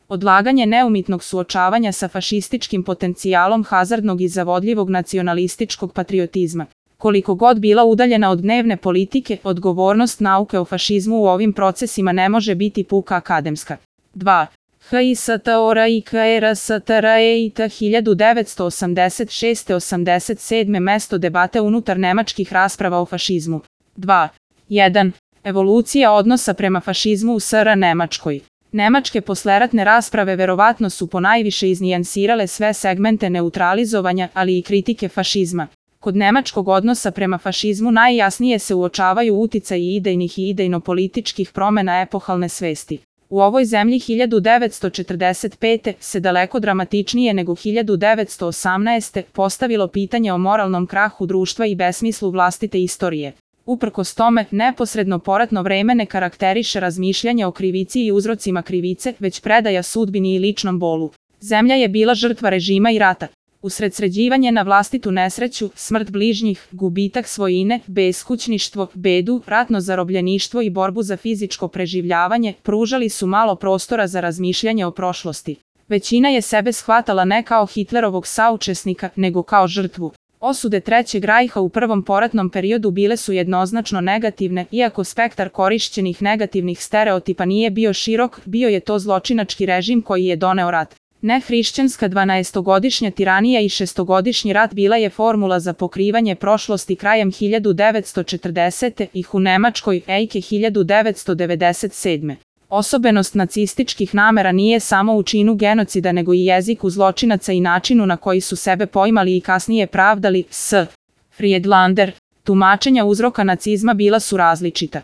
Odlaganje neumitnog suočavanja sa fašističkim potencijalom hazardnog i zavodljivog nacionalističkog patriotizma. Koliko god bila udaljena od dnevne politike, odgovornost nauke o fašizmu u ovim procesima ne može biti puka akademska. 2. HISTORIKRSTREIT 1986-87 mesto debate unutar nemačkih rasprava o fašizmu. 2. 1. Evolucija odnosa prema fašizmu u SR Nemačkoj. Nemačke posleratne rasprave verovatno su ponajviše iznijansirale sve segmente neutralizovanja, ali i kritike fašizma. Kod nemačkog odnosa prema fašizmu najjasnije se uočavaju uticaji idejnih i idejno-političkih promena epohalne svesti. U ovoj zemlji 1945. se daleko dramatičnije nego 1918. postavilo pitanje o moralnom krahu društva i besmislu vlastite istorije. Uprkos tome, neposredno poratno vreme ne karakteriše razmišljanje o krivici i uzrocima krivice, već predaja sudbini i ličnom bolu. Zemlja je bila žrtva režima i rata. Usredsređivanje na vlastitu nesreću, smrt bližnjih, gubitak svojine, beskućništvo, bedu, ratno zarobljeništvo i borbu za fizičko preživljavanje pružali su malo prostora za razmišljanje o prošlosti. Većina je sebe shvatala ne kao Hitlerovog saučesnika, nego kao žrtvu. Osude Trećeg rajha u prvom poratnom periodu bile su jednoznačno negativne, iako spektar korišćenih negativnih stereotipa nije bio širok, bio je to zločinački režim koji je doneo rat. Nehrišćanska 12-godišnja tiranija i 6-godišnji rat bila je formula za pokrivanje prošlosti krajem 1940. ih u Nemačkoj, ejke 1997. Osobenost nacističkih namera nije samo u činu genocida nego i jeziku zločinaca i načinu na koji su sebe poimali i kasnije pravdali. S. Friedlander. Tumačenja uzroka nacizma bila su različita.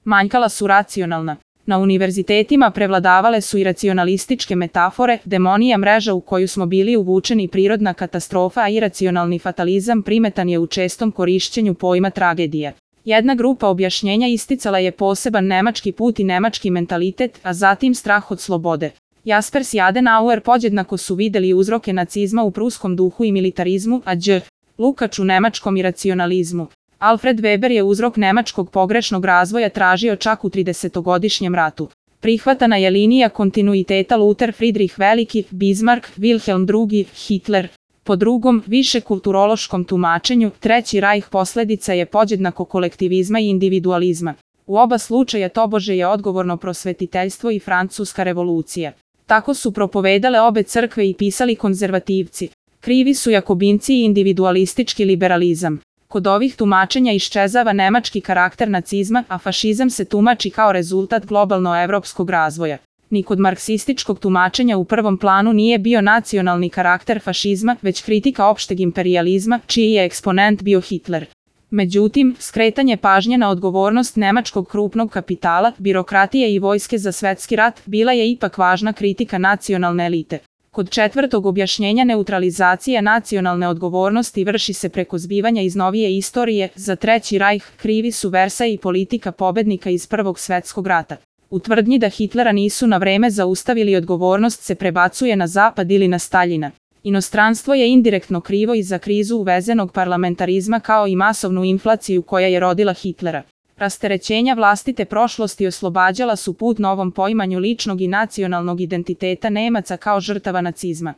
Manjkala su racionalna. Na univerzitetima prevladavale su i racionalističke metafore, demonija mreža u koju smo bili uvučeni, prirodna katastrofa, a iracionalni fatalizam primetan je u čestom korišćenju pojma tragedija. Jedna grupa objašnjenja isticala je poseban nemački put i nemački mentalitet, a zatim strah od slobode. Jaspers i Adenauer podjednako su videli uzroke nacizma u pruskom duhu i militarizmu, a Đ. Lukač u nemačkom iracionalizmu. Alfred Weber je uzrok nemačkog pogrešnog razvoja tražio čak u 30-godišnjem ratu. Prihvatana je linija kontinuiteta Luther, Friedrich Veliki, Bismarck, Wilhelm II, Hitler. Po drugom, više kulturološkom tumačenju, Treći rajh posljedica je podjednako kolektivizma i individualizma. U oba slučaja tobože je odgovorno prosvetiteljstvo i Francuska revolucija. Tako su propovedale obe crkve i pisali konzervativci. Krivi su jakobinci i individualistički liberalizam. Kod ovih tumačenja iščezava nemački karakter nacizma, a fašizam se tumači kao rezultat globalno-evropskog razvoja. Ni kod marksističkog tumačenja u prvom planu nije bio nacionalni karakter fašizma, već kritika opšteg imperijalizma, čiji je eksponent bio Hitler. Međutim, skretanje pažnje na odgovornost nemačkog krupnog kapitala, birokratije i vojske za svetski rat bila je ipak važna kritika nacionalne elite. Kod četvrtog objašnjenja neutralizacija nacionalne odgovornosti vrši se preko zbivanja iz novije istorije. Za Treći rajh krivi su Versaj i politika pobednika iz Prvog svetskog rata. U tvrdnji da Hitlera nisu na vreme zaustavili, odgovornost se prebacuje na Zapad ili na Staljina. Inostranstvo je indirektno krivo i za krizu uvezenog parlamentarizma kao i masovnu inflaciju koja je rodila Hitlera. Rasterećenja vlastite prošlosti oslobađala su put novom poimanju ličnog i nacionalnog identiteta Nemaca kao žrtava nacizma.